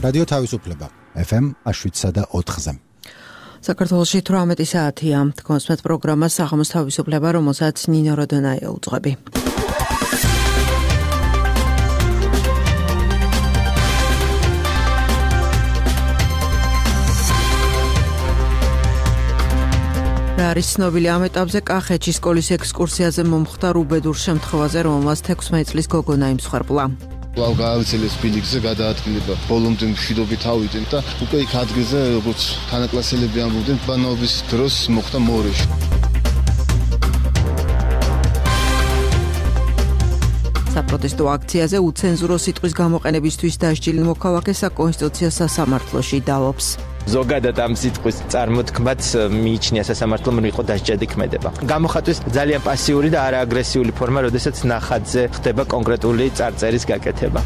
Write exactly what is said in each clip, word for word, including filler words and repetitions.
რადიო თავისუფლება ეფ ემ შვიდსა და ოთხზე. საქართველოში თვრამეტი საათია. თქვენს პროგრამას საღამოს თავისუფლება, რომელსაც ნინო როდონაია უძღვები. რა არის ცნობილი ამ ეტაპზე? კახეთში სკოლის ექსკურსიაზე მომხდარ უბედურ შემთხვევაზე, რომელმაც თექვსმეტ წლის გოგონა იმსხვერპლა. ლავ გაავიწყეს ბილიკზე გადაადგილება. ბოლომდე მშვიდობით ავიდნენ და უკვე იქ ადგილზე როგორც თანაკლასელები ამბობდნენ, ბანაობის დროს მოხდა მორეში. საპროტესტო აქციაზე უცენზურო სიტყვის გამოყენებისთვის დასჯილი მოქალაქე საკონსტიტუციო სასამართლოში დავობს. ზოგადად ამ სიტყვის წარმოთქმაც მიიჩნია სასამართლომ რომ იყო დასჯადი ქმედება. გამოხატვის ძალიან პასიური და არააგრესიული ფორმა, როდესაც ნახატზე ხდება კონკრეტული წარწერის გაკეთება.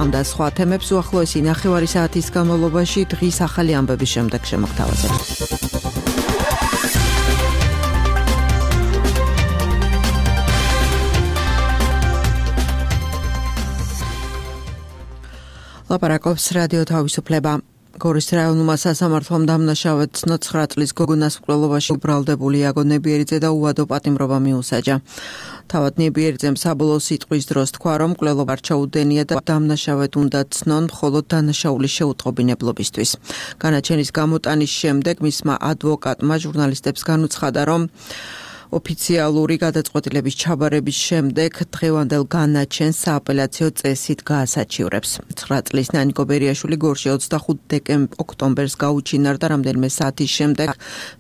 ამ და სხვა თემებს უახლოესი ნახევარი საათის განმავლობაში დღის ახალი ამბების შემდეგ შემოგთავაზებთ. ლაპარაკობს რადიო თავისუფლება. გორის რაიონულმა სასამართლომ დამნაშავედ ცხრა წლის გოგონას მკვლელობაში უბრალდებული იაგო ნებიერიძე და უვადო პატიმრობა მიუსაჯა. თავად ნებიერიძემ საბოლოო სიტყვის დროს თქვა, რომ მკვლელობა არ ჩაუდენია და დამნაშავედ უნდა ცნონ მხოლოდ დანაშაულის შეუტყობინებლობისთვის. განაჩენის გამოტანის შემდეგ მისმა ადვოკატმა ჟურნალისტებს განუცხადა, რომ ოფიციალური გადაწყვეტილების ჩაბარების შემდეგ დღევანდელ განაჩენს სააპელაციო წესით გაასაჩივრებს. ცხრა წლის ნანიკო ბერიაშვილი გორში ოცდახუთი ოქტომბერს გაუჩინარ და რამდენიმე საათის შემდეგ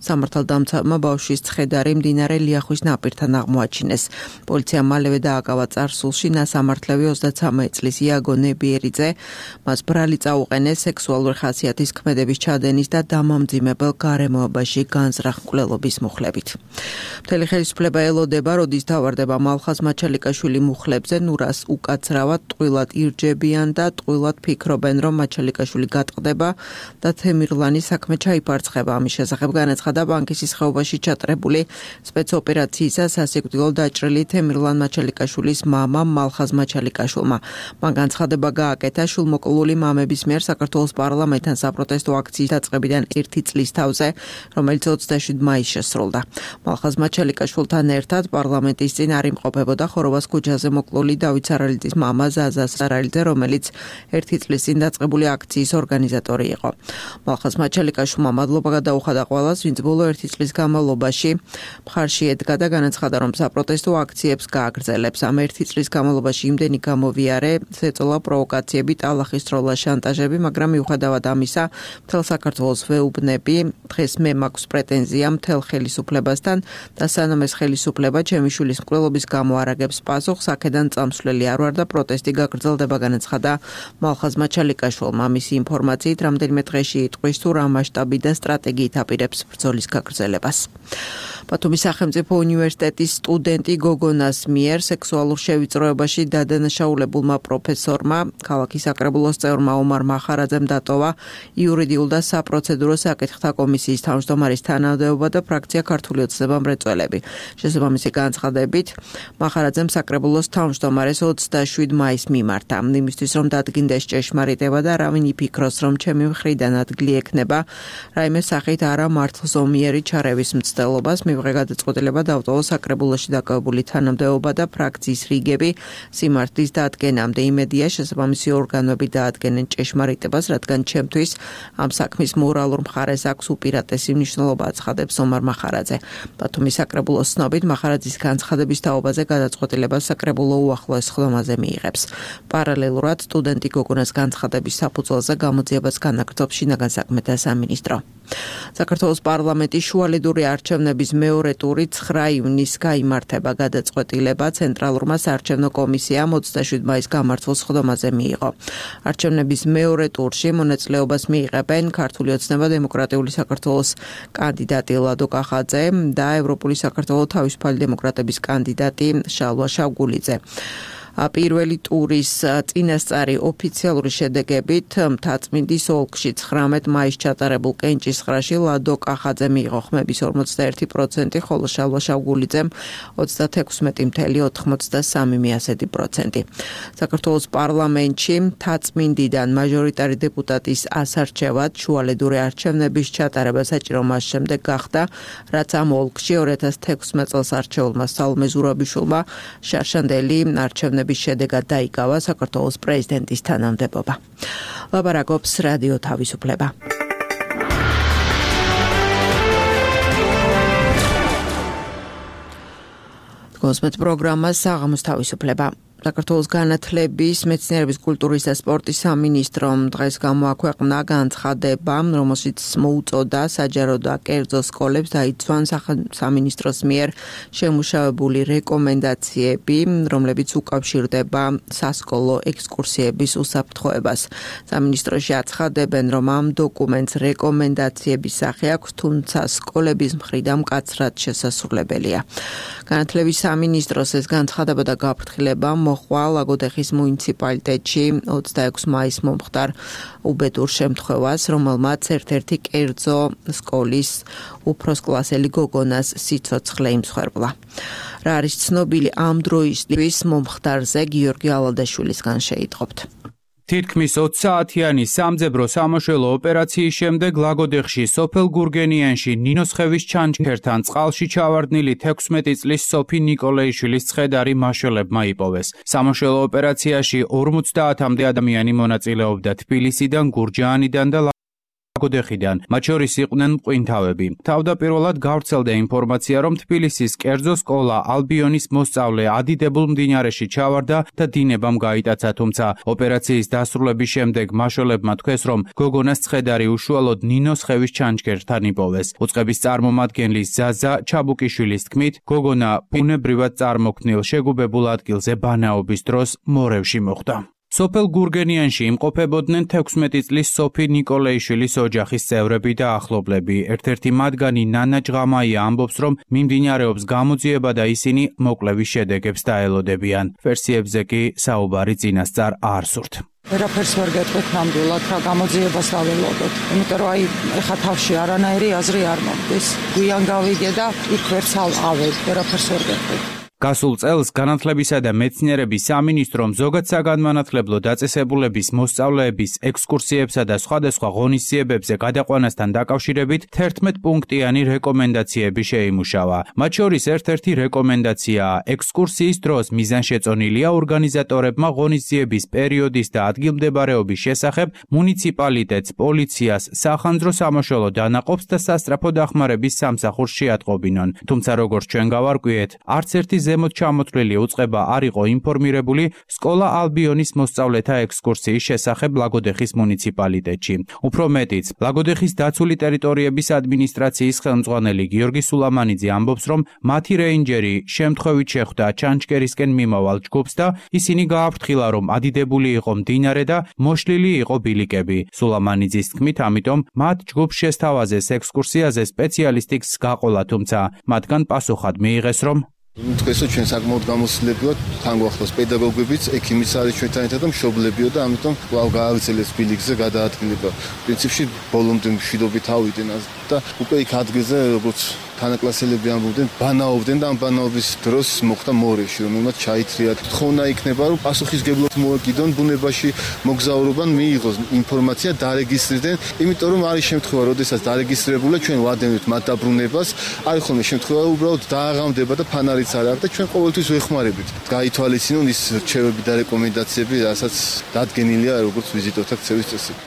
სამართალდამცავმა ბავშვის ცხედარი მდინარე ლიახვის ნაპირთან აღმოაჩინეს. პოლიციამ მალევე დააკავა წარსულში ნასამართლევი ოცდაცამეტ წლის იაგო ნებიერიძე. მას ბრალი წაუყენეს სექსუალური ხასიათის ქმედების ჩადენის და დამამძიმებელ გარემოებაში განზრახ მკვლელობის მუხლებით. ხელისუფლება ელოდება, როდის დავარდება მალხაზ მაჩალიკაშვილი მუხლებზე, ნურას უკაცრავად ტყუილად ირჯებიან და ტყუილად ფიქრობენ, რომ მაჩალიკაშვილი გატყდება და თემირლანის საქმე ჩაიფარცხება. ამის შესახებ განაცხადა ბანკის ხეობაში ჩატარებული სპეცოპერაციისა სასიკვდილო დაჭრილი თემირლან მაჩალიკაშვილის მამა მალხაზ მაჩალიკაშვილმა. მან განცხადება გააკეთა შულმოკლული მამების მიერ საქართველოს პარლამენტთან საპროტესტო აქციის დაწყებიდან ერთი წლის თავზე, რომელიც ოცდაშვიდ მაისს შესრულდა. მალხაზ მაჩალიკაშვილთან ერთად პარლამენტის წინ არ იმყოფებოდა ხოროვას ქუჩაზე მოკლული დავით სარალიძის მამა ზაზა სარალიძე, რომელიც ერთი წლის წინ დაწყებული აქციის ორგანიზატორი იყო. მალხაზ მაჩალიკაშვილმა მადლობა გადაუხადა ყველას, ვინც ბოლო ერთი წლის განმავლობაში მხარში ედგა და განაცხადა, რომ საპროტესტო აქციებს გააგრძელებს. ამ ერთი წლის განმავლობაში იმდენი გამოვიარე, ზეწოლა, პროვოკაციები, ტალახის თროლა, შანტაჟები, მაგრამ მიუხედავად ამისა, მთელ საქართველოს ვეუბნები, დღეს მე მაქვს პრეტენზია მთელ ხელისუფლებასთან და სანამ ეს ხელისუფლება ჩემი შვილის მკვლელობის გამო არაგებს პასუხს, აქედან წამსვლელი არ ვარ და პროტესტი გაგრძელდება, განაცხადა მალხაზ მაჩალიკაშვილმა. მისი ინფორმაციით რამდენიმე დღეში იტყვის თუ რა მასშტაბი და სტრატეგიით აპირებს ბრძოლის გაგრძელებას. ბათუმის სახელმწიფო უნივერსიტეტის სტუდენტი გოგონას მიერ სექსუალურ შევიწროებაში დადანაშაულებულმა პროფესორმა ქალაქის საკრებულოს წევრმა ომარ მახარაძემ დატოვა იურიდიულ და საპროცედურო საკითხთა კომისიის თავმჯდომარის თანამდებობა და ფრაქცია ქართული ოცნება მრეწველები. შესაბამისი განცხადებით მახარაძემ საკრებულოს თავმჯდომარეს ოცდაშვიდ მაისს მიმართა. იმისთვის რომ დადგინდეს ჭეშმარიტება და არავინ იფიქროს, რომ ჩემი მხრიდან ადგილი ექნება რაიმე სახით არა მართლზომიერი ჩარევის მცდელობას, მივიღე გადაწყვეტილება დავტოვო საკრებულოში დაკავებული თანამდებობა და ფრაქციის რიგები სიმართლის დადგენამდე. იმედია შესაბამისი ორგანოები დაადგენენ ჭეშმარიტებას, რადგან ჩემთვის ამ საქმის მორალურ მხარეს აქვს უპირატესი მნიშვნელობა, აცხადებს ომარ მახარაძე. ბათუმის საკრებულოს ცნობით მახარაძის განცხადების თაობაზე გადაწყვეტილებას საკრებულო უახლოეს ხდომაზე მიიღებს. პარალელურად სტუდენტი გოგონას განცხადების საფუძველზე გამოძიებას განაგრძობს შინაგან საქმეთა სამინისტრო. საქართველოს პარლამენტის შუალედური არჩევნების მეორე ტური ცხრა ივნისს გაიმართება. გადაწყვეტილება ცენტრალურმა საარჩევნო კომისიამ ოცდაშვიდ მაისს გამართულ სხდომაზე მიიღო. არჩევნების მეორე ტურში მონაწილეობას მიიღებენ ქართული ოცნება დემოკრატიული საქართველოს კანდიდატი ლადო კახაძე და ევროპული საქართველოს თავისუფალი დემოკრატების კანდიდატი შალვა შავგულიძე. პირველი ტურის წინასწარი ოფიციალური შედეგებით მთაწმინდის ოლქში ცხრამეტ მაისს ჩატარებულ კენჭისყრაში ლადო კახაძე მიიღო ხმების ორმოცდაერთი პროცენტი, ხოლო შალვა შავგულიძემ ოცდათექვსმეტი წამლ ოთხმოცდასამი პროცენტი. საქართველოს პარლამენტში მთაწმინდიდან მაჟორიტარი დეპუტატის ასარჩევად შუალედური არჩევნების ჩატარება საჭირო მას შემდეგ გახდა, რაც ამ ოლქში ორი ათას თექვსმეტ წელს არჩეულმა სალომე ზურაბიშვილმა შარშანდელი არჩევნების შედეგად დაიკავა საქართველოს პრეზიდენტის თანამდებობა. ლაპარაკობს რადიო თავისუფლება. კონსმეთ პროგრამა საღამოს თავისუფლება. საქართველოს განათლების, მეცნიერების, კულტურის და სპორტის სამინისტრომ დღეს გამოაქვეყნა განცხადება, რომელშიც მოუწოდა საჯარო და კერძო სკოლებს დაიცვან სამინისტროს მიერ შემუშავებული რეკომენდაციები, რომლებიც უკავშირდება სასკოლო ექსკურსიების უსაფრთხოებას. სამინისტროში აცხადებენ, რომ ამ დოკუმენტს რეკომენდაციების სახე აქვს, თუმცა სკოლების მხრიდან მკაცრად შესასრულებელია. განათლების სამინისტროს ეს განცხადება და გაფრთხილება მოხვა ლაგოდეხის მუნიციპალიტეტში ოცდაექვსი მაისს მომხდარ უბედურ შემთხვევას, რომელმაც ერთ-ერთი კერძო სკოლის უფროსკლასელი გოგონას სიცოცხლე იმსხვერპლა. რა არის ცნობილი ამ დროისთვის მომხდარზე გიორგი ალადაშვილისგან შეიტყობთ. თითქმის ოცი საათიანი სამძებრო სამაშველო ოპერაციის შემდეგ ლაგოდეხში სოფელ გურგენიანში ნინოსხევის ჩანჩქერთან წყალში ჩავარდნილი თექვსმეტი წლის სოფი ნიკოლეიშვილის ცხედარი მაშველებმა იპოვეს. სამაშველო ოპერაციაში ორმოცდაათამდე ადამიანი მონაწილეობდა თბილისიდან, გურჯაანიდან და ლაგოდეხიდან, მათ შორის იყვნენ მყვინთავები. თავდაპირველად გავრცელდა ინფორმაცია, რომ თბილისის კერძო სკოლა ალბიონის მოსწავლე ადიდებულ მდინარეში ჩავარდა და დინებამ გაიტაცა, თუმცა ოპერაციის დასრულების შემდეგ მაშველებმა თქვეს, რომ გოგონას ცხედარი უშუალოდ ნინოსხევის ჩანჩქერთან იპოვეს. უწყების წარმომადგენლის ზაზა ჩაბუკიშვილის თქმით, გოგონა ბუნებრივად წარმოქმნილ შეგუბებულ ადგილზე ბანაობის დროს მორევში მოხვდა. სოფელ გურგენიანში იმყოფებოდნენ თექვსმეტი წლის სოფი ნიკოლეიშვილის ოჯახის წევრები და ახლობლები. ერთ-ერთი მათგანი ნანა ჭღამაია ამბობს, რომ მიმდინარეობს გამოძიება და ისინი მოკლევის შედეგებს დაელოდებიან. ვერსიებზე კი საუბარი წინასწარ არ სურთ. ვერაფერს ვერ გეტყვით ნამდვილად, რა გამოძიებას დაველოდოთ. იმიტომ რომ აი ეხა თავში არანაირი აზრი არ მომდის. გვიან გავიგე და იქ ვერც ავედ, ვერაფერს ვერ გეტყვით. გასულ წელს განათლებისა და მეცნიერების სამინისტრომ ზოგად საგანმანათლებლო დაწესებულების მოსწავლეების ექსკურსიებსა და სხვადასხვა ღონისძიებებზე გადაყვანასთან დაკავშირებით თერთმეტ პუნქტიანი რეკომენდაციები შეიმუშავა. მათ შორის ერთ-ერთი რეკომენდაციაა ექსკურსიის დროს მიზანშეწონილია ორგანიზატორებმა ღონისძიების პერიოდის და ადგილმდებარეობის შესახებ მუნიციპალიტეტს, პოლიციას, სახანძრო სამაშველო დანაყოფს და სასწრაფო დახმარების სამსახურს შეატყობინონ. თუმცა როგორც ჩვენ გავარკვიეთ, არც ერთი ზემოთ ჩამოთვლილი უწყება არ იყო ინფორმირებული სკოლა ალბიონის მოსწავლეთა ექსკურსიის შესახებ ლაგოდეხის მუნიციპალიტეტში. უფრო მეტიც, ლაგოდეხის დაცული ტერიტორიების ადმინისტრაციის ხელმძღვანელი გიორგი სულამანიძე ამბობს, რომ მათი რეინჯერი შემთხვევით შეხვდა ჩანჩკერისკენ მიმავალ ჯგუფს და ისინი გააფრთხილა, რომ ადიდებული იყო მდინარე და მოშლილი იყო ბილიკები. სულამანიძის თქმით, ამიტომ მათ ჯგუფს შესთავაზეს ექსკურსიაზე სპეციალისტის გაყოლა, თუმცა მათგან პასუხად მიიღეს, რომ თქვენსო ჩვენ საკმაოდ გამოცდილებია თან გვახლოს პედაგოგებიც, ექიმიც არის ჩვენთან ერთად და მშობლებიო და ამიტომ კვლავ გააგრძელეს ბილიკზე გადაადგილება. პრინციპში ბოლომდე მშვიდობით ავიდნენ და უკვე იქ ადგილზე როგორც თანაკლასელები ამბობდნენ, ბანაობდნენ და ამ ბანაობის დროს მოხდა მორევში, რომელმაც ჩაითრია. თხოვნა იქნება, რომ პასუხისგებლად მოეკიდონ ბუნებაში მოგზაურობან, მიიღოს ინფორმაცია, დარეგისტრირდნენ, იმიტომ რომ არის შემთხვევა, როდესაც დარეგისტრირებულა ჩვენ ვადენთ მათ დაბრუნებას, არის ხოლმე შემთხვევა, უბრალოდ დააღამდება და ფანარიც არ აქვს და ჩვენ ყოველთვის ვეხმარებით. გაითვალისწინონ ის რჩევები და რეკომენდაციები, რასაც დადგენილია როგორც ვიზიტორთა ქცევის წესები.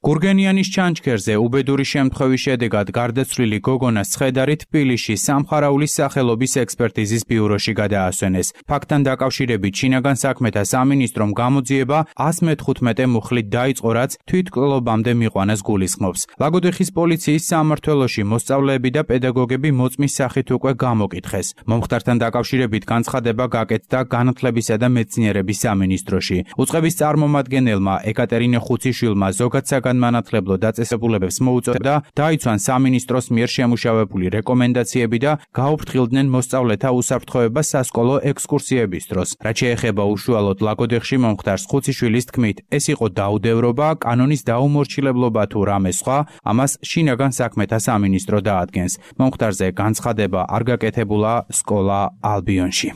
გურგენიანის ჩანჩქერზე უბედური შემთხვევის შედეგად გარდაცვლილი გოგონას ცხედარი თბილისში სამხარაულის სახელობის ექსპერტიზის ბიუროში გადაასვენეს. ფაქტთან დაკავშირებით შინაგან საქმეთა სამინისტრომ გამოძიება ას მეთხუთმეტე მუხლით დაიწყო, რაც თვითმკვლელობამდე მიყვანას გულისხმობს. ლაგოდეხის პოლიციის სამმართველოში მოსწავლეები და პედაგოგები მოწმის სახით უკვე გამოკითხეს. მომხდართან დაკავშირებით განცხადება გაკეთდა განათლებისა და მეცნიერების სამინისტროში. უწყების წარმომადგენელმა ეკატერინე ხუციშვილმა ზოგადსაგან საგანმანათლებლო დაწესებულებებს მოუწოდა დაიცვან სამინისტროს მიერ შემუშავებული რეკომენდაციები და გაუფრთხილდნენ მოსწავლეთა უსაფრთხოებას სასკოლო ექსკურსიების დროს. რაც შეეხება უშუალოდ ლაგოდეხში მომხდარს ხუციშვილის თქმით, ეს იყო დაუდევრობა, კანონის დაუმორჩილებლობა თუ რამე სხვა, ამას შინაგან საქმეთა სამინისტრო დაადგენს. მომხდარზე განცხადება არ გაკეთებულა სკოლა ალბიონში.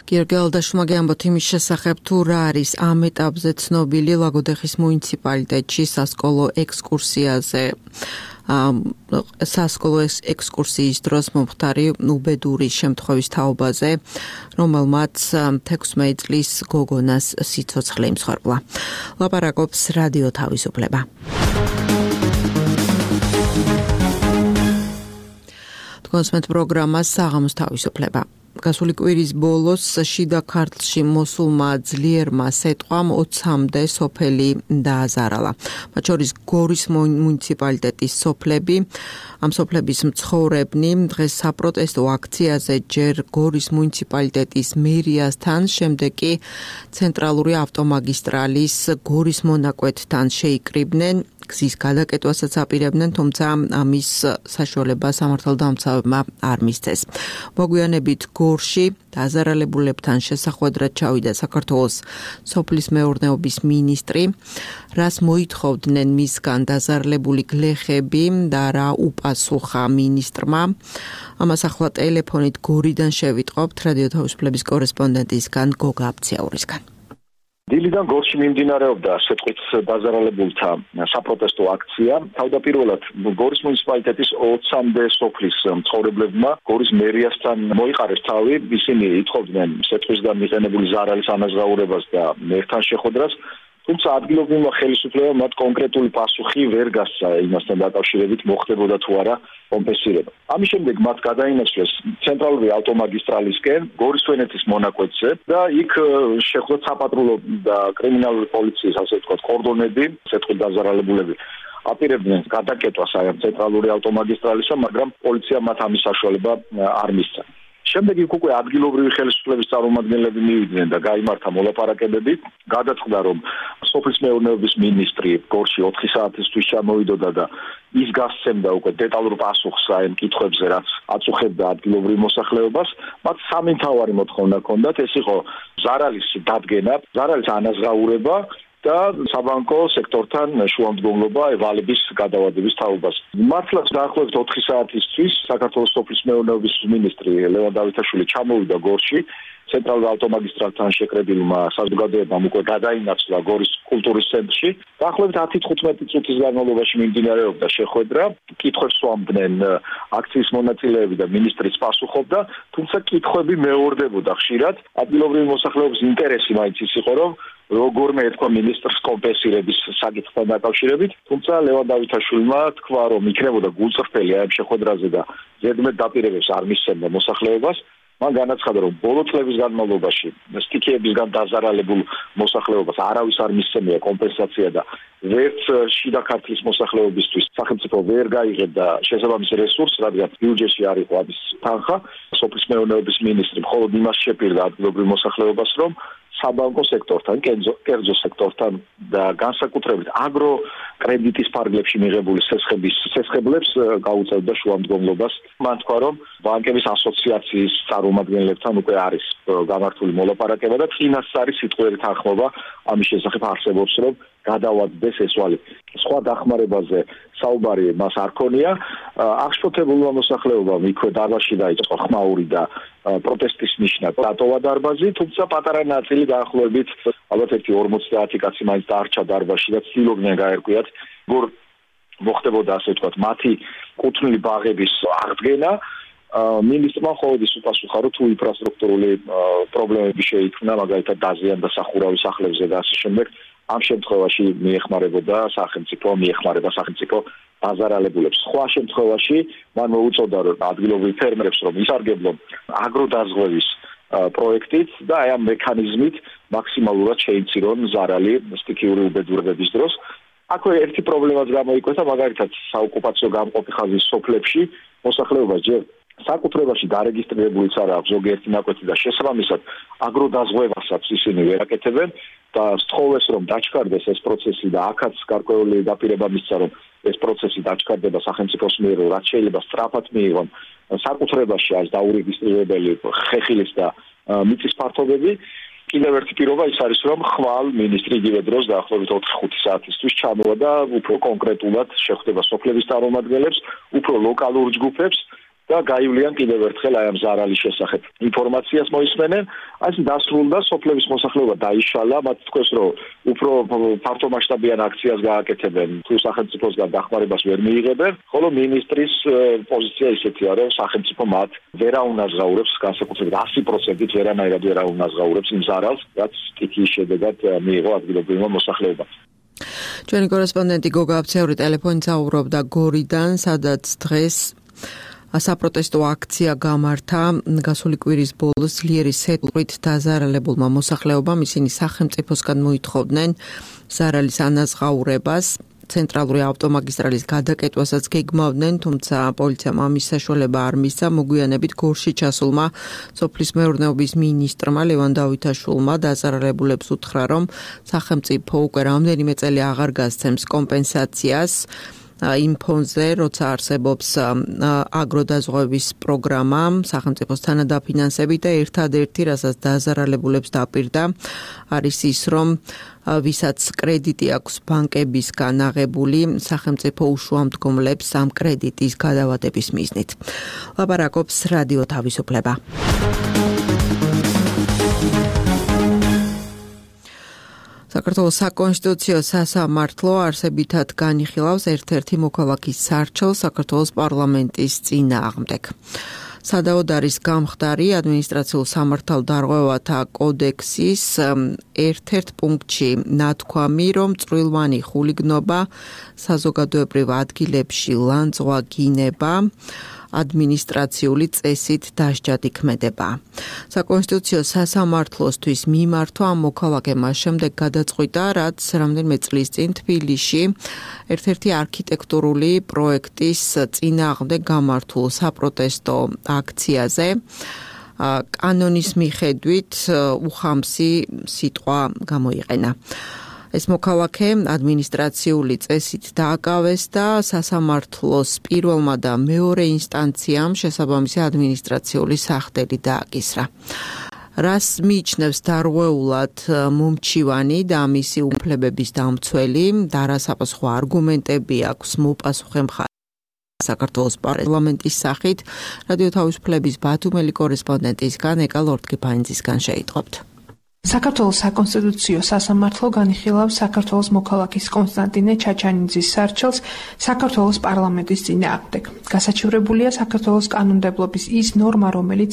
გიორგი ალდაშუმა გეამბოთ იმის შესახებ, თუ რა არის ამ ეტაპზე ცნობილი ლაგოდეხის მუნიციპალიტეტში სასკოლო ექსკურსიაზე. სასკოლო ექსკურსიის დროს მომხდარი უბედური შემთხვევის თაობაზე, რომელმაც თექვსმეტი წლის გოგონას სიცოცხლე იმსხვერპლა. ლაპარაკობს რადიო თავისუფლება. კონსმეთ პროგრამა საღამოს თავისუფლება. გასული კვირის ბოლოს შიდა ქართლში მოსულმა ძლიერმა სეტყვამ ოცამდე სოფელი დააზარალა. მათ შორის გორის მუნიციპალიტეტის სოფლები. ამ სოფლების მცხოვრებნი დღეს საპროტესტო აქციაზე ჯერ გორის მუნიციპალიტეტის მერიასთან, შემდეგ კი ცენტრალური ავტომაგისტრალის გორის მონაკვეთთან შეიკრიბნენ. გზის გადაკეთვასაც აპირებდნენ, თუმცა ამის საშუალება სამართალდამცავებმა არ მისცეს. მოგვიანებით გორში დაზარალებულებთან შესახვედრად ჩავიდა საქართველოს სოფლის მეურნეობის მინისტრი, რას მოითხოვდნენ მისგან დაზარალებული გლეხები და რა უპასუხა მინისტრმა. ამას ახლა ტელეფონით გორიდან შევიტყობთ რადიო თავისუფლების კორესპონდენტისგან გოგა აბციაურისგან. დილიდან გორში მიმდინარეობდა სეტყვით დაზარალებულთა საპროტესტო აქცია. თავდაპირველად გორის მუნიციპალიტეტის ოცამდე სოფლის მცხოვრებლებმა გორის მერიასთან მოიყარეს თავი. ისინი ითხოვდნენ სეტყვისგან მიღებული ზარალის ანაზღაურებას და მერთან შეხვედრას. თუმცა ადგილობრივმა ხელისუფლებამ მათ კონკრეტული პასუხი ვერ გასცა იმასთან დაკავშირებით მოხდებოდა თუ არა კომპენსირება. ამის შემდეგ მათ გადაინაცვლეს ცენტრალური ავტომაგისტრალისკენ გორის თვენეთის მონაკვეთზე და იქ შეხვდათ საპატრულო და კრიმინალური პოლიციის, ასე ვთქვათ, კორდონები, სეტყვით დაზარალებულები აპირებდნენ გადაკეთვას აი ამ ცენტრალური ავტომაგისტრალისა, მაგრამ პოლიცია მათ ამის საშუალება არ მისცა. შემდეგ იქ უკვე ადგილობრივი ხელისუფლების წარმომადგენლები მივიდნენ და გაიმართა მოლაპარაკებები. გადაწყდა, რომ სოფლის მეურნეობის მინისტრი გორში ოთხი საათისთვის ჩამოვიდოდა და ის გასცემდა უკვე დეტალურ პასუხს აი ამ კითხვებზე, რაც აწუხებდა ადგილობრივ მოსახლეობას. მათ სამი მთავარი მოთხოვნა ჰქონდათ, ეს იყო ზარალის დადგენა, ზარალის ანაზღაურება და საბანკო სექტორთან შუამდგომლობა ვალების გადავადების თაობას. მართლაც დაახლოებით ოთხი საათისთვის საქართველოს სოფლის მეურნეობის მინისტრი ლევან დავითაშვილი ჩამოვიდა გორში. ცენტრალურ ავტომაგისტრალთან შეკრებილმა საზოგადოებამ უკვე გადაინაცვლა გორის კულტურის ცენტრში. დაახლოებით ათი თხუთმეტი წუთის განმავლობაში მიმდინარეობდა შეხვედრა. კითხვებს სვამდნენ აქციის მონაწილეები და მინისტრიც პასუხობდა, თუმცა კითხვები მეორდებოდა ხშირად. ადგილობრივი მოსახლეობის ინტერესი მაინც ის იყო, რომ როგორმე ეთქვა მინისტრს კომპენსირების საკითხთან დაკავშირებით, თუმცა ლევან დავითაშვილმა თქვა, რომ იქნებოდა გულწრფელი ამ შეხვედრაზე და ზედმეტ დაპირებებს არ მისცემდა მოსახლეობას. მან განაცხადა, რომ ბოლო წლების განმავლობაში სტიქიებისგან დაზარალებულ მოსახლეობას არავის არ მისცემია კომპენსაცია და ვერც შიდა ქართლის მოსახლეობისთვის სახელმწიფო ვერ გაიღებდა შესაბამის რესურსს, რადგან ბიუჯეტში არ იყო ამის თანხა. სოფლის მეურნეობის მინისტრი მხოლოდ იმას შეპირდა ადგილობრივ მოსახლეობას, რომ საბანკო სექტორთან, კერძო სექტორთან და განსაკუთრებით აგრო კრედიტის ფარგლებში მიღებული სესხების სესხებლებს გაუწევდა შუამდგომლობას. მან თქვა, რომ ბანკების ასოციაციის წარმომადგენლებთან უკვე არის გამართული მოლაპარაკება და წინას არის სიტყვიერი თანხმობა ამის შესახებ არსებობს, რომ გადავადდეს ეს ვალი. სხვა დახმარებაზე საუბარი მას არ ქონია. აღშფოთებულმა მოსახლეობამ იქვე დარბაზში დაიწყო ხმაური და პროტესტის ნიშნად დატოვა დარბაზი, თუმცა პატარა ნაწილი დაახლოებით ალბათ ერთი ორმოცდაათი კაცი მაინც დარჩა დარბაზში და ცდილობდნენ გაერკვიათ, როგორ მოხდებოდა, ასე ვთქვათ, მათი კუთვნილი ბაღების აღდგენა. მინისტრმა მხოლოდ ის უპასუხა, რომ თუ ინფრასტრუქტურული პრობლემები შეიქმნა, მაგალითად დაზიანდა სახურავი სახლებზე და ასე შემდეგ, ამ შემთხვევაში მიეხმარებოდა სახელმწიფო, მიეხმარება სახელმწიფო დაზარალებულებს. სხვა შემთხვევაში მან მოუწოდა ადგილობრივ ფერმერებს, რომ ისარგებლონ აგროდაზღვევის პროექტით და აი ამ მექანიზმით მაქსიმალურად შეიცირონ ზარალი სტიქიური უბედურებების დროს. აქვე ერთი პრობლემაც გამოიკვეთა, მაგალითად საოკუპაციო გამყოფი ხაზის სოფლებში მოსახლეობა ჯერ საკუთრებაში დარეგისტრირებულიც არ აქვს ზოგიერთი ნაკვეთი და შესაბამისად აგროდაზღვევასაც ისინი ვერ აკეთებენ და სთხოვეს რომ დაჩქარდეს ეს პროცესი და აქაც გარკვეული დაპირება მისცა რომ ეს პროცესი დაჩქარდება სახელმწიფოს მიერ რაც შეიძლება სწრაფად მიიღონ საკუთრებაში არის დაურეგისტრირებელი ხეხილის და მიწის ფართობები კიდევ ერთი პირობა ის არის რომ ხვალ მინისტრი იგივე დროს დაახლოებით ოთხი ხუთი საათისთვის ჩამოვა და უფრო კონკრეტულად შეხვდება სოფლების წარმომადგენლებს, უფრო ლოკალურ ჯგუფებს და გაივლიან კიდევ ერთხელ აი ამ ზარალის შესახებ ინფორმაციას მოისმენენ. აი დასრულდა სოფლების მოსახლეობა დაიშალა, მათ თქვეს რომ უფრო ფართომასშტაბიან აქციას გააკეთებენ, თუ სახელმწიფოსგან დახმარებას ვერ მიიღებენ, ხოლო მინისტრის პოზიცია ისეთია რომ სახელმწიფო მათ ვერ აუნაზღაურებს განსაკუთრებით ასი პროცენტით ვერანაირად ვერ აუნაზღაურებს იმ ზარალს, რაც სტიქიის შედეგად მიიღო ადგილობრივმა მოსახლეობამ. ჩვენი კორესპონდენტი გოგა აბციური ტელეფონით საუბრობდა გორიდან, სადაც დღეს საპროტესტო აქცია გამართა გასული კვირის ბოლოს ძლიერი სეტყვით დაზარალებულმა მოსახლეობამ. ისინი სახელმწიფოსგან მოითხოვდნენ ზარალის ანაზღაურებას, ცენტრალური ავტომაგისტრალის გადაკეთვასაც გეგმავდნენ, თუმცა პოლიციამ ამის საშუალება არ მისცა. მოგვიანებით გორში ჩასულმა სოფლის მეურნეობის მინისტრმა ლევან დავითაშვილმა დაზარალებულებს უთხრა, რომ სახელმწიფო უკვე რამდენიმე წელი აღარ გასცემს კომპენსაციას იმ ფონზე, როცა არსებობს აგროდაზღვევის პროგრამა სახელმწიფოს თანადაფინანსებით და ერთადერთი, რასაც დაზარალებულებს დაპირდა, არის ის, რომ ვისაც კრედიტი აქვს ბანკებისგან აღებული, სახელმწიფო უშუამდგომლებს ამ კრედიტის გადავადების მიზნით. ლაპარაკობს რადიო თავისუფლება. საქართველოს საკონსტიტუციო სასამართლო არსებითად განიხილავს ერთ-ერთი მოქალაქის სარჩელს საქართველოს პარლამენტის წინააღმდეგ. სადაოდ არის გამხდარი ადმინისტრაციულ სამართალდარღვევათა კოდექსის ერთ-ერთ პუნქტში ნათქვამი, რომ წვრილმანი ხულიგნობა, საზოგადოებრივ ადგილებში ლანძღვა გინება ადმინისტრაციული წესით დასჯად იქმედება. საკონსტიტუციო სასამართლოსთვის მიმართვა ამ მოქალაქემ შემდეგ გადაწყვიტა, რაც რამდენიმე წლის წინ თბილისში ერთ-ერთი არქიტექტურული პროექტის წინააღმდეგ გამართულ საპროტესტო აქციაზე კანონის მიხედვით უხამსი სიტყვა გამოიყენა. ეს მოქალაქე ადმინისტრაციული წესით დააკავეს და სასამართლოს პირველმა და მეორე ინსტანციამ შესაბამისი ადმინისტრაციული სახდელი დააკისრა. რას მიიჩნევს დარღვეულად მომჩივანი და მისი უფლებების დამცველი და რა საპასუხო არგუმენტები აქვს მოპასუხე მხარეს საქართველოს პარლამენტის სახით, რადიო თავისუფლების ბათუმელი კორესპონდენტისგან ეკა ლორდ-კიფანიძისგან შეიტყობთ. საქართველოს საკონსტიტუციო სასამართლო განიხილავს საქართველოს მოქალაქის კონსტანტინე ჩაჩანიძის სარჩელს საქართველოს პარლამენტის წინააღმდეგ. გასაჩივრებულია საქართველოს კანონმდებლობის ის ნორმა, რომელიც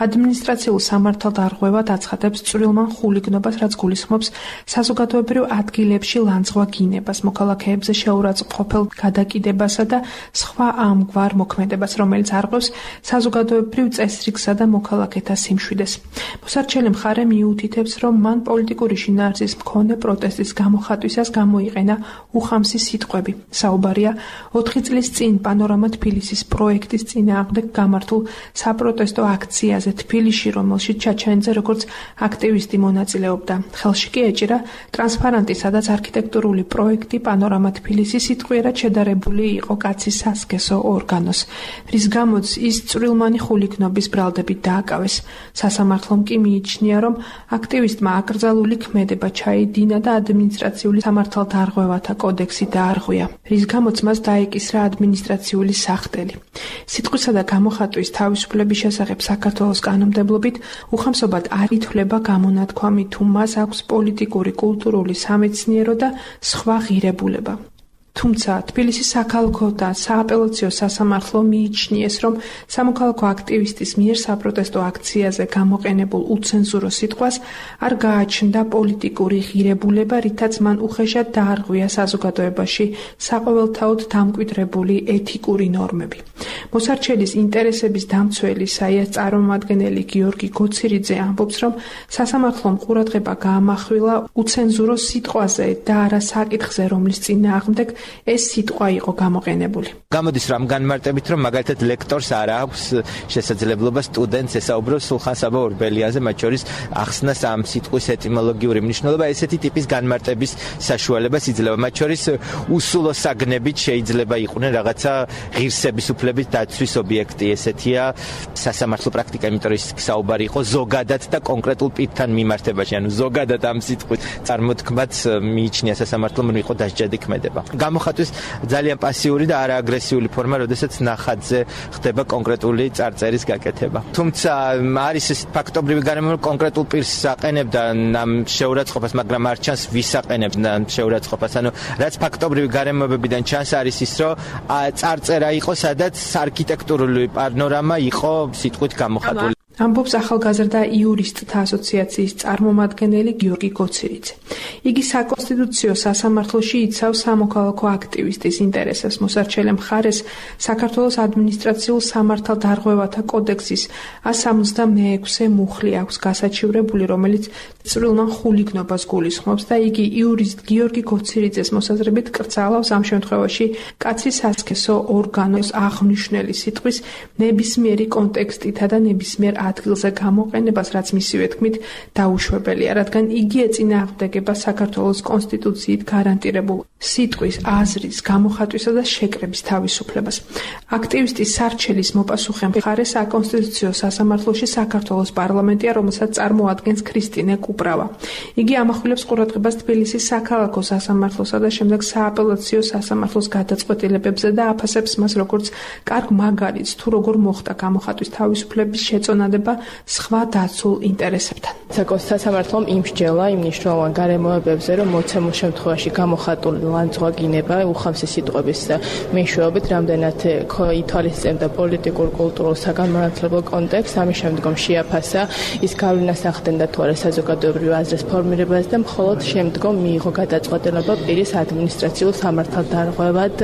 ადმინისტრაციულ სამართალდარღვევად აცხადებს წვრილმან ხულიგნობას, რაც გულისხმობს საზოგადოებრივ ადგილებში ლანძღვა გინებას, მოქალაქეებზე შეურაცხმყოფელ გადაკიდებასა და სხვა ამგვარ მოქმედებას, რომელიც არღვევს საზოგადოებრივ წესრიგსა და მოქალაქეთა სიმშვიდეს. მოსარჩელი მხარე მიუთითებს, რომ მან პოლიტიკური შინაარსის მქონე პროტესტის გამოხატვისას გამოიყენა უხამსი სიტყვები. საუბარია ოთხი წლის წინ პანორამა თბილისის პროექტის წინააღმდეგ გამართულ საპროტესტო აქციაზე თბილისში, რომელშიც ჩაჩანიძე როგორც აქტივისტი მონაწილეობდა. ხელში კი ეჭირა ტრანსპარანტი, სადაც არქიტექტურული პროექტი პანორამა თბილისი სიტყვიერად შედარებული იყო კაცის სასქესო ორგანოს, რის გამოც ის წვრილმანი ხულიგნობის ბრალდებით დააკავეს. სასამართლომ კი მიიჩნია, რომ აქტივისტმა აკრძალული ქმედება ჩაიდინა და ადმინისტრაციული სამართალდარღვევათა კოდექსი დაარღვია, რის გამოც მას დაეკისრა ადმინისტრაციული სახდელი. სიტყვისა და გამოხატვის თავისუფლების შესახებ საქართველოს კანონმდებლობით უხამსობად არ ითვლება გამონათქვამი, თუ მას აქვს პოლიტიკური, კულტურული, სამეცნიერო და სხვა ღირებულება. თუმცა თბილისის საქალაქო და სააპელაციო სასამართლო მიიჩნიეს, რომ სამოქალაქო აქტივისტის მიერ საპროტესტო აქციაზე გამოყენებულ უცენზურო სიტყვას არ გააჩნდა პოლიტიკური ღირებულება, რითაც მან უხეშად დაარღვია საზოგადოებაში საყოველთაოდ დამკვიდრებული ეთიკური ნორმები. მოსარჩელის ინტერესების დამცველი საიას წარმომადგენელი გიორგი გოცირიძე ამბობს, რომ სასამართლომ ყურადღება გაამახვილა უცენზურო სიტყვაზე და არა საკითხზე, რომლის წინააღმდეგ ეს სიტყვა იყო გამოყენებული. გამოდის რომ განმარტებით რომ მაგალითად ლექტორს არ აქვს შესაძლებლობა სტუდენტს ესაუბროს სულხან-საბა ორბელიანზე, მათ შორის ახსნას ამ სიტყვის ეტიმოლოგიური მნიშვნელობა, ესეთი ტიპის განმარტების საშუალებას იძლევა. მათ შორის უსულო საგნებით შეიძლება იყვნენ რაღაცა ღირსების უფლების დაცვის ობიექტი, ესეთია სასამართლო პრაქტიკა, იმიტომ რომ ის საუბარი იყო ზოგადად და კონკრეტულ პირთან მიმართებაში, ანუ ზოგადად ამ სიტყვის წარმოთქმაც მიიჩნია სასამართლომ რომ იყო დასჯადი ქმედება. გამოხატვის ძალიან პასიური და არააგრესიული ფორმა, როდესაც ნახატზე ხდება კონკრეტული წარწერის გაკეთება. თუმცა არის ეს ფაქტობრივი გარემო, რომ კონკრეტულ პირს აყენებდა ამ შეურაცხყოფას, მაგრამ არ ჩანს ვის აყენებდა ამ შეურაცხყოფას. ანუ რაც ფაქტობრივი გარემოებებიდან ჩანს არის ის, რომ წარწერა იყო, სადაც არქიტექტურული პანორამა იყო სიტყვით გამოხატული. ამბობს ახალგაზრდა იურისტთა ასოციაციის წარმომადგენელი გიორგი გოცირიძე. იგი საკონსტიტუციო სასამართლოში იცავს სამოქალაქო აქტივისტის ინტერესებს. მოსარჩელე მხარეს საქართველოს ადმინისტრაციულ სამართალდარღვევათა კოდექსის ას სამოცდამეექვსე მუხლი აქვს გასაჩივრებული, რომელიც წვრილმან ხულიგნობას გულისხმობს და იგი იურისტ გიორგი გოცირიძეს მოსაზრებით კრძალავს ამ შემთხვევაში კაცის სასქესო ორგანოს აღნიშნული სიტყვის ნებისმიერი კონტექსტითა და ნებისმიერ ადგილზე გამოყენებას, რაც მისივე თქმით დაუშვებელია, რადგან იგი ეწინააღმდეგება საქართველოს კონსტიტუციით გარანტირებულ სიტყვის, აზრის, გამოხატვისა და შეკრების თავისუფლებას. აქტივისტის სარჩელის მოპასუხე მხარე საკონსტიტუციო სასამართლოში საქართველოს პარლამენტია, რომელსაც წარმოადგენს ქრისტინე კუპრავა. იგი ამახვილებს ყურადღებას თბილისის საქალაქო სასამართლოსა და შემდეგ სააპელაციო სასამართლოს გადაწყვეტილებებზე და აფასებს მას როგორც კარგ მაგალითს, თუ როგორ მოხდა გამოხატვის თავისუფლების შეწონადება სხვა დაცულ ინტერესებთან. საკონსტიტუციო იმსჯელა იმ მნიშვნელოვან გარემოებებზე, რომ მოცემულ შემთხვევაში გამოხატული ლანძღვაგინება უხამსი სიტყვების მეშვეობით რამდენად ითვალისწინებდა პოლიტიკურ, კულტურულ, საგანმანათლებლო კონტექსტს, ამის შემდგომ შეაფასა ის გავლენას ახდენდა თუ არა საზოგადოებრივ აზრის ფორმირებაზე და მხოლოდ შემდგომ მიიღო გადაწყვეტილება პირის ადმინისტრაციულ სამართალდარღვევად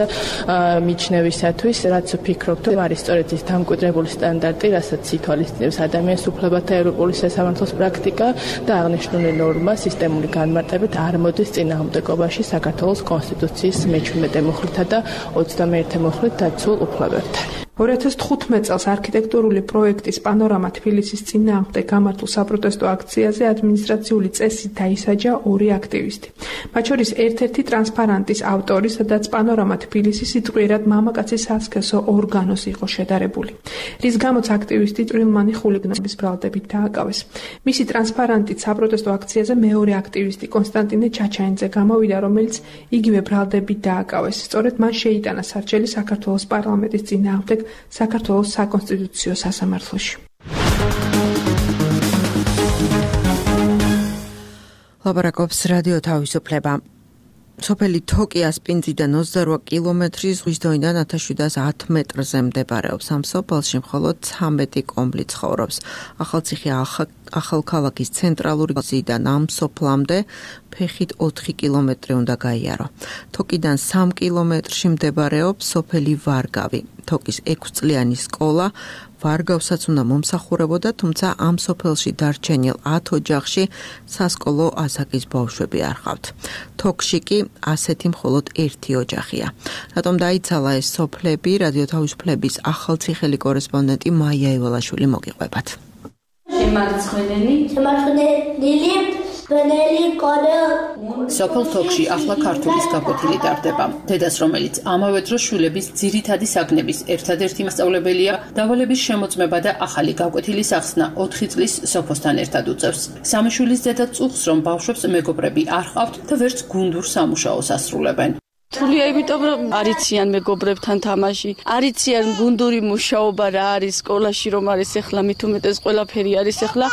მიჩნევისათვის, რაც ვფიქრობთ, რომ არის სწორედ ის დამკვიდრებული სტანდარტი, რასაც ითვალისწინებს ადამიანის უფლებათა ევროპული სასამართლოს პრაქტიკა და აღნიშნული ნორმა სისტემური განმარტებით არ მოდის წინააღმდეგობაში საქართველოს კონსტიტუციის მეჩვიდმეტე მუხლითა და ოცდამეერთე მუხლით დაცულ უფლებებთან. ორი ათას თხუთმეტ წელს არქიტექტურული პროექტის პანორამა თბილისის წინააღმდეგ გამართულ საპროტესტო აქციაზე ადმინისტრაციული წესით დაისაჯა ორი აქტივისტი. მათ შორის ერთ-ერთი ტრანსპარანტის ავტორი, სადაც პანორამა თბილისი სიტყვიერად მამაკაცის სასქესო ორგანოს იყო შედარებული. რის გამოც აქტივისტი წვრილმანი ხულიგნობის ბრალდებით დააკავეს. მისი ტრანსპარანტით საპროტესტო აქციაზე მეორე აქტივისტი კონსტანტინე ჩაჩაინძე გამოვიდა, რომელიც იგივე ბრალდებით დააკავეს. სწორედ მან შეიტანა სარჩელი საქართველოს პარლამენტის წინააღმდეგ საქართველოს საკონსტიტუციო სასამართლოში. ლაპარაკობს რადიო თავისუფლება. სოფელი თოკი ასპინძიდან ოცდარვა კილომეტრი ზღვის დონიდან ათას შვიდას ათ მეტრზე მდებარეობს. ამ სოფელში მხოლოდ ცამეტი კომბლი ცხოვრობს. ახალციხე ახალქალაქის ცენტრალური გზიდან ამ სოფლამდე ფეხით ოთხი კილომეტრი უნდა გაიარო. თოკიდან სამ კილომეტრში მდებარეობს სოფელი ვარგავი. თოკის ექვსწლიანი სკოლა ვარგავსაც უნდა მომსახურებოდა, თუმცა ამ სოფელში დარჩენილ ათ ოჯახში სასკოლო ასაკის ბავშვები არ ჰყავთ. თოკში კი ასეთი მხოლოდ ერთი ოჯახია. რატომ დაიცალა ეს სოფლები? რადიო თავისუფლების ახალციხელი კორესპონდენტი მაია ივალაშვილი მოგიყვებათ. შემარცხვენელი, შემარცხვენელი სოფელ თოკში ახლა ქართულის გაკვეთილი ტარდება. დედას, რომელიც ამავე დროს შვილების ძირითადი საგნების ერთადერთი მასწავლებელია, დავალების შემოწმება და ახალი გაკვეთილის ახსნა ოთხი წლის სოფოსთან ერთად უწევს. სამი შვილის დედა წუხს, რომ ბავშვებს მეგობრები არ ჰყავთ და ვერც გუნდურ სამუშაოს ასრულებენ. თულია, იმიტომ რომ არიციან მეგობრებთან თამაში, არიციან გუნდური მუშაობა რა არის სკოლაში, რომ არის ახლა მით უმეტეს ყველაფერი არის ახლა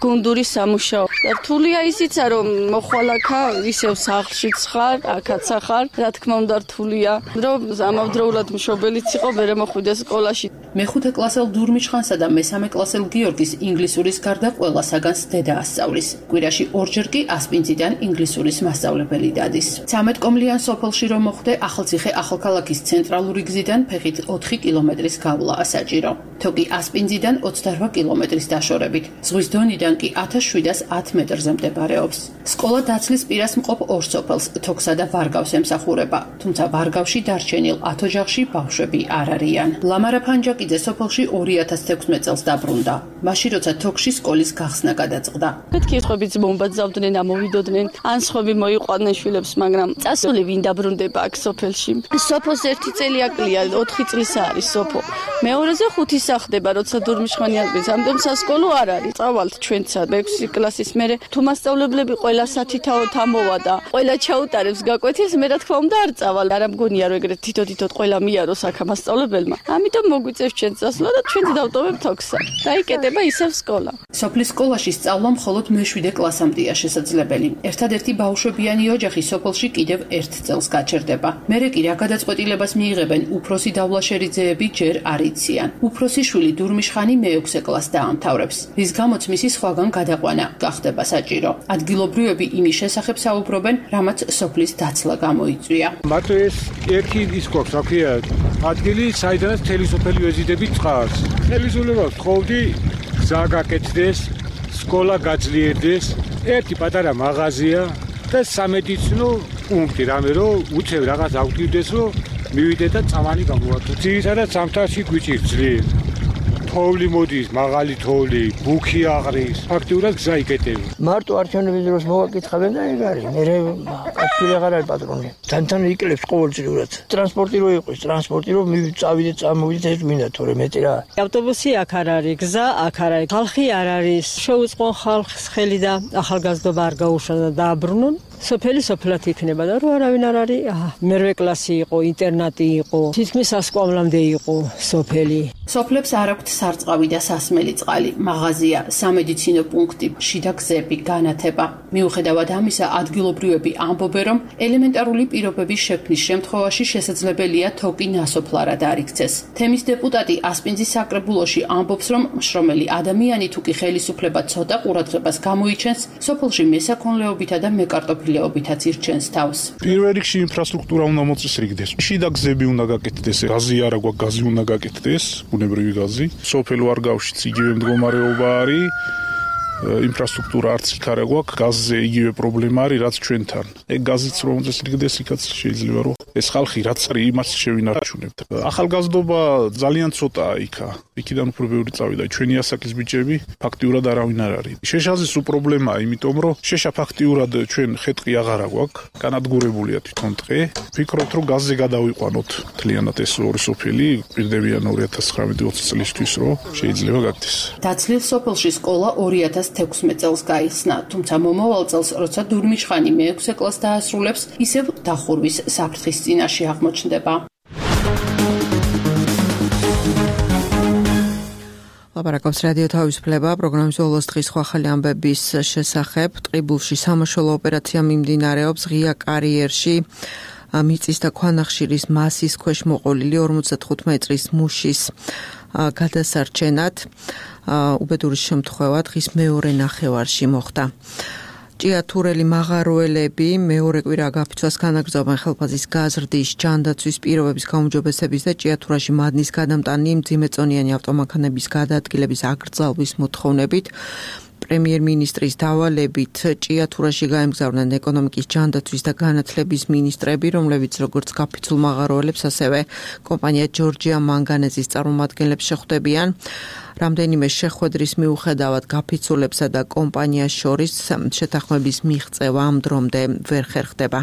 გუნდური სამუშაო. და რთულია ისიცა, რომ მოხვალაკა ისევ სახლშიც ხარ, აქაც ხარ, რა თქმა უნდა რთულია, რომ ამავდროულად მშობელიც იყო, მერე მოხვიდე სკოლაში. მეხუთე კლასელ დურმიჩხანსა და მესამე კლასელ გიორგის ინგლისურის გარდა ყველა საგანს დედა ასწავლის. კვირაში ორჯერ კი ასპინძიდან ინგლისურის მასწავლებელი დადის. ცამეტ კომლიან სოფელში რომ მოხდე ახალციხე ახალქალაქის ცენტრალური გზიდან ფეხით ოთხი კილომეტრის გავლა საჭირო. თოკი ასპინძიდან ოცდაოთხ კილომეტრის დაშორებით. ზღვის დონიდან კი ათას შვიდას ათ მეტრზე მდებარეობს. სკოლა დაცლის პირას მყოფ ორ სოფელს, თოქსა და ვარგავს ემსახურება, თუმცა ვარგავში დარჩენილ ათ ოჯახში ბავშვები არ არიან. ლამარა ფანჯაკიძე სოფელში ორი ათას თექვსმეტ წელს დაბრუნდა. მაშინ როცა თოქში სკოლის გახსნა გადაწყდა. კითხებიც მომბაძავდნენ, ამოვიდოდნენ, ან სხვები მოიყვანენ შვილებს, მაგრამ წასული ვინ დაბრუნდება აქ სოფელში. სოფოს ერთი წელი აკლია, ოთხი წლის არის სოფო. მეორეზე ხუთი სახდება, როცა დურმიშვანი აღდის. ამდენ სასკოლო არ არის. წავალთ ჩვენცა მეექვსე კლასის მერე თუ მასწავლებლები ყველა სათითაოდ ამოვადა. ყველა ჩაუტარებს გაკვეთილს, მე რა თქმა უნდა არ წავალ. არ ამგონია რომ ეგრეთ თითო-თითოდ ყველა მიაროს აქ მასწავლებელმა. ამიტომ მოგვიწევს ჩვენ წასვლა და ჩვენ დავტოვებთ თოქსა. დაიკეტება ისევ სკოლა. სოფლის სკოლაში სწავლა მხოლოდ მეშვიდე კლასამდეა შესაძლებელი. ერთადერთი ბავშვებიანი ოჯახი სოფელში კიდევ ერთ წელს გაჩერდება. მერე კი რა გადაწყვეტილებას მიიღებენ უფროსი დავლაშერიძეები ჯერ არ იციან. უფროსი შვილი დურმიშხანი მეექვსე კლასს დაამთავრებს, რის გამოც მისი სხვაგან გადაყვანა გახდება საჭირო. ადგილობრივები იმის შესახებ საუბრობენ, რამაც სოფლის დაცლა გამოიწვია. მათ ეს ერთი ის გვაქვს, რა ქვია, ადგილი, საიდანაც მთელი სოფელი ვეზიდებით წყარს. ხელისუფლებას ვთხოვდი, გზა გაკეთდეს, სკოლა გაძლიერდეს, ერთი პატარა მაღაზია და სამედიცინო პუნქტი, რამე რომ უცებ რაღაც აღვდგივდეს, რომ მივიდეთ და წამანი გამოვართო. ძირითადად ზამთარში გვიჭირს ძლიერ. თოვლი მოდის, მაღალი თოვლი, ბუქი აყრის, ფაქტიურად გზა იკეტები. მარტო არჩევნების დროს მოვაკითხებენ და ეგ არის. მე კაცი აღარ არის პატრონი. თან-თან იკლებს ყოველწლიურად. ტრანსპორტი რო იყოს, ტრანსპორტი რო მივწავიდეთ, წამოვიდეთ, ეს მინდა თორე მეტი რა. ავტობუსი აქ არ არის, გზა აქ არ არის, ხალხი არ არის. შეუწყო ხალხს ხელი და ახალგაზრდობა არ გაუშვა და დააბრუნონ. სოფელი სოფლად იქნება და რო არავინ არ არის, აჰა, მერვე კლასი იყო, ინტერნატი იყო, თითქმის სასკოლამდე იყო სოფელი. სოფლებს არ აქვთ სარწყავი და სასმელი წყალი, მაღაზია, სამედიცინო პუნქტი, შიდა გზები, განათება. მიუხედავად ამისა, ადგილობრივები ამბობენ, რომ ელემენტარული პირობების შექმნის შემთხვევაში შესაძლებელია თოკი ნასოფლარად არ იქცეს. თემის დეპუტატი ასპინძის საკრებულოში ამბობს, რომ მშრომელი ადამიანი თუ კი ხელისუფლება ცოტა ყურადღებას გამოიჩენს, სოფელში მესაქონლეობითა და მეკარტოფილეობითაც ირჩენს თავს. პირველ რიგში ინფრასტრუქტურა უნდა მოწესრიგდეს. შიდა გზები უნდა გაკეთდეს, გაზი არა გვაქვს, გაზი უნდა გაკეთდეს, ბუნებრივი გაზი. სოფელ ვარგავშიც იგივე მდგომარეობა არის. ინფრასტრუქტურა არც იქ არა გვაქვს, გაზზე იგივე პრობლემა არის, რაც ჩვენთან. ეგ გაზიც რომ მოწესრიგდეს, იქაც შეიძლება რომ ეს ხალხი რაც არის, იმას შევინარჩუნებთ. ახალგაზრდობა ძალიან ცოტაა იქა. იქიდან უფრო ბევრი წავიდა. ჩვენი ასაკის ბიჭები ფაქტიურად არავინ არ არის. შეშაზის უპრობლემაა, იმიტომ რომ შეშა ფაქტიურად ჩვენ ხეტყი აღარა გვაქვს, განადგურებულია თვითონ ტყე. ვფიქრობთ, რომ გაზზე გადავიყვანოთ მთლიანად ეს ორი სოფელი, პირდებიან ორი ათას ცხრამეტი ოცი წლისთვის, რომ შეიძლება გაკეთდეს. დაცლილ სოფელში სკოლა ორი ათას თექვსმეტ წელს გაიხსნა, თუმცა მომავალ წელს, როცა დურმიშხანი მეექვსე კლასს დაასრულებს, ისევ დახურვის საფრთხის წინაშე აღმოჩნდება. ლაპარაკობს რადიო თავისუფლება, პროგრამის ბოლოს დღის ახალი ამბების შესახებ. ტყიბულში სამაშველო ოპერაცია მიმდინარეობს ღია კარიერში. მიწის და ქვანახშირის მასის ქვეშ მოყოლილი ორმოცდათხუთი მეტრის მუშის გადასარჩენად უბედური შემთხვევა დღის მეორე ნახევარში მოხდა. ჭიათურელი მაღაროელები მეორე კვირა გაფიცვას განაგრძობენ ხელფასის გაზრდის, ჯანდაცვის პირობების გაუმჯობესების და ჭიათურაში მადნის გადამტანი მძიმეწონიანი ავტომანქანების გადაადგილების აკრძალვის მოთხოვნებით. პრემიერ-მინისტრის დავალებით ჭიათურაში გაემგზავრნენ ეკონომიკის, ჯანდაცვის და განათლების მინისტრები, რომლებიც როგორც გაფიცულ მაღაროელებს, ასევე კომპანია ჯორჯია მანგანეზის წარმომადგენლებს შეხვდებიან. რამდენიმე შეხვედრის მიუხედავად გაფიცულებსა და კომპანიას შორის შეთანხმების მიღწევა ამ დრომდე ვერ ხერხდება.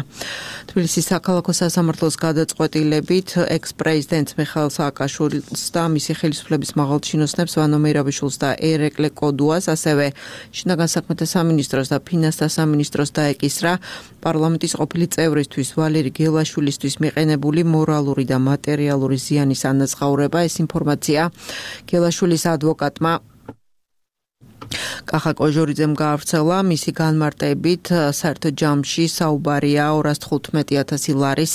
თბილისის საქალაქო სასამართლოს გადაწყვეტილებით ექს-პრეზიდენტ მიხაილ სააკაშვილს და მისი ხელისუფლების მაღალჩინოსნებს ვანო მეირაბიშვილს და ერეკლე კოდუას, ასევე შინაგან საქმეთა სამინისტროს და ფინანსთა სამინისტროს დაეკისრა პარლამენტის ყოფილი წევრისთვის ვალერი გელაშვილისთვის მიყენებული მორალური და მატერიალური ზიანის ანაზღაურება. ეს ინფორმაცია გელაშვილის ადვოკატმა კახა კოჟორიძემ გაავრცელა მისი განმარტებით საერთო ჯამში საუბარია ორას თხუთმეტი ათასი ლარის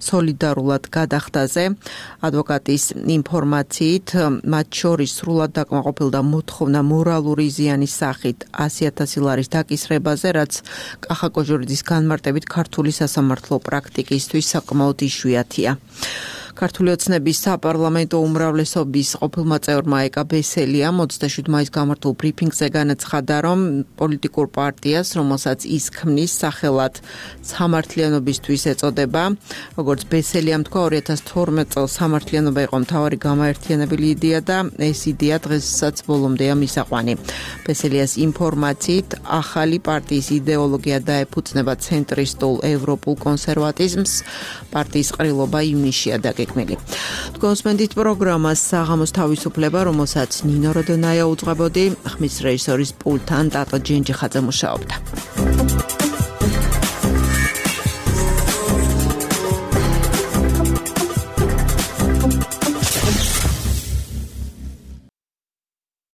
სოლიდარულად გადახდაზე. ადვოკატის ინფორმაციით მათ შორის სრულად დაკმაყოფილდა მოთხოვნა მორალური ზიანის სახით ასი ათასი ლარის დაკისრებაზე, რაც კახა კოჟორიძის განმარტებით ქართული სასამართლო პრაქტიკისთვის საკმაოდ იშვიათია. ქართული ოცნების საპარლამენტო უმრავლესობის ყოფილმა წევრმა ეკა ბესელიამ ოცდაშვიდ მაისს გამართულ ბრიფინგზე განაცხადა, რომ პოლიტიკურ პარტიას, რომელსაც ის ქმნის, სახელად სამართლიანობისთვის ეწოდება. როგორც ბესელიამ თქვა, ორი ათას თორმეტ წელს სამართლიანობა იყო მთავარი გამაერთიანებელი იდეა და ეს იდეა დღესაც ბოლომდეა მისაყვანი. ბესელიას ინფორმაციით, ახალი პარტიის იდეოლოგია დაეფუძნება ცენტრისტულ ევროპულ კონსერვატიზმს, პარტიის ყრილობა ივნისშია დაგეგმილი. თქვენსმენდით პროგრამას საღამოს თავისუფლება, რომელსაც ნინო როდონაია უძღვებოდი, ხმის რეჟისორის პულტთან ტატო ჯენჯიხაძე მუშაობდა.